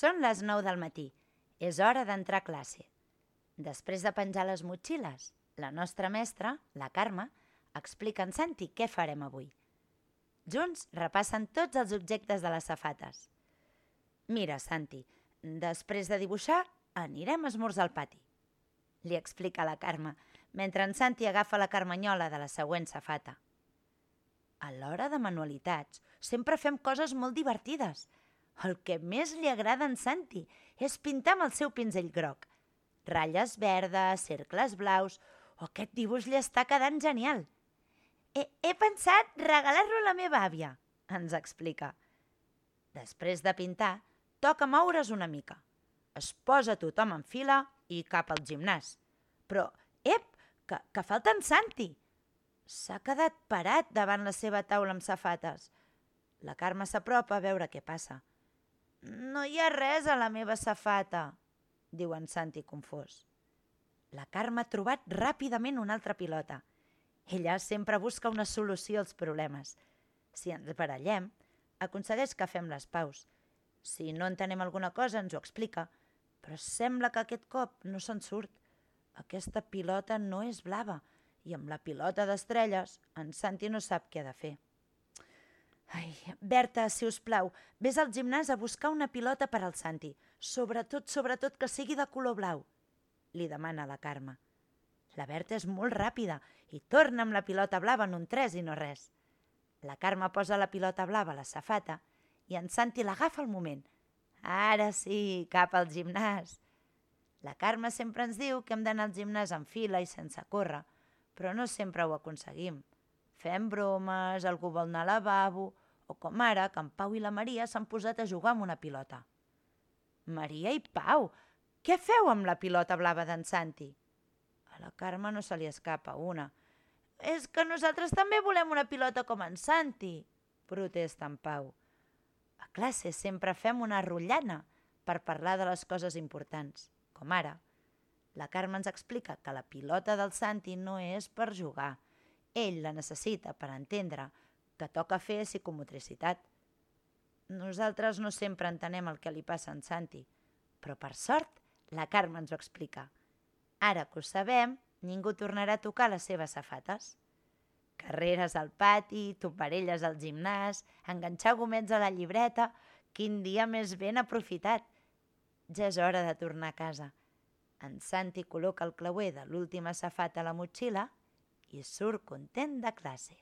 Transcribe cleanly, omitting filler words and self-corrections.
Són les 9 del matí. És hora d'entrar a classe. Després de penjar les motxilles, la nostra mestra, la Carme, explica a en Santi què farem avui. Junts repassen tots els objectes de les safates. Mira, Santi, després de dibuixar anirem a esmorzar al pati, li explica la Carme, mentre en Santi agafa la carmanyola de la següent safata. A l'hora de manualitats sempre fem coses molt divertides. El que més li agrada a en Santi és pintar amb el seu pinzell groc. Ratlles verdes, cercles blaus... aquest dibuix li està quedant genial. He pensat regalar-lo a la meva àvia, ens explica. Després de pintar, toca moure's una mica. Es posa tothom en fila i cap al gimnàs. Però, que falta en Santi! S'ha quedat parat davant la seva taula amb safates. La Carme s'apropa a veure què passa. No hi ha res a la meva safata, diu en Santi confós. La Carme ha trobat ràpidament una altra pilota. Ella sempre busca una solució als problemes. Si ens barallem, aconsegueix que fem les paus. Si no entenem alguna cosa, ens ho explica. Però sembla que aquest cop no se'n surt. Aquesta pilota no és blava i amb la pilota d'estrelles en Santi no sap què ha de fer. Berta, si us plau, vés al gimnàs a buscar una pilota per al Santi. Sobretot que sigui de color blau, li demana la Carme. La Berta és molt ràpida i torna amb la pilota blava en un 3 i no res. La Carme posa la pilota blava a la safata i en Santi l'agafa al moment. Ara sí, cap al gimnàs. La Carme sempre ens diu que hem d'anar al gimnàs en fila i sense córrer, però no sempre ho aconseguim. Fem bromes, algú vol anar al lavabo, o com ara que en Pau i la Maria s'han posat a jugar amb una pilota. Maria i Pau, què feu amb la pilota blava d'en Santi? A la Carme no se li escapa una. És que nosaltres també volem una pilota com en Santi, protesta en Pau. A classe sempre fem una rotllana per parlar de les coses importants, com ara. La Carme ens explica que la pilota del Santi no és per jugar. Ell la necessita per entendre que toca fer psicomotricitat. Nosaltres no sempre entenem el que li passa a en Santi, però per sort la Carme ens ho explica. Ara que ho sabem, ningú tornarà a tocar les seves safates. Carreres al pati, toparelles al gimnàs, enganxar gomets a la llibreta... Quin dia més ben aprofitat! Ja és hora de tornar a casa. En Santi col·loca el clauer de l'última safata a la motxilla i surt content de classe.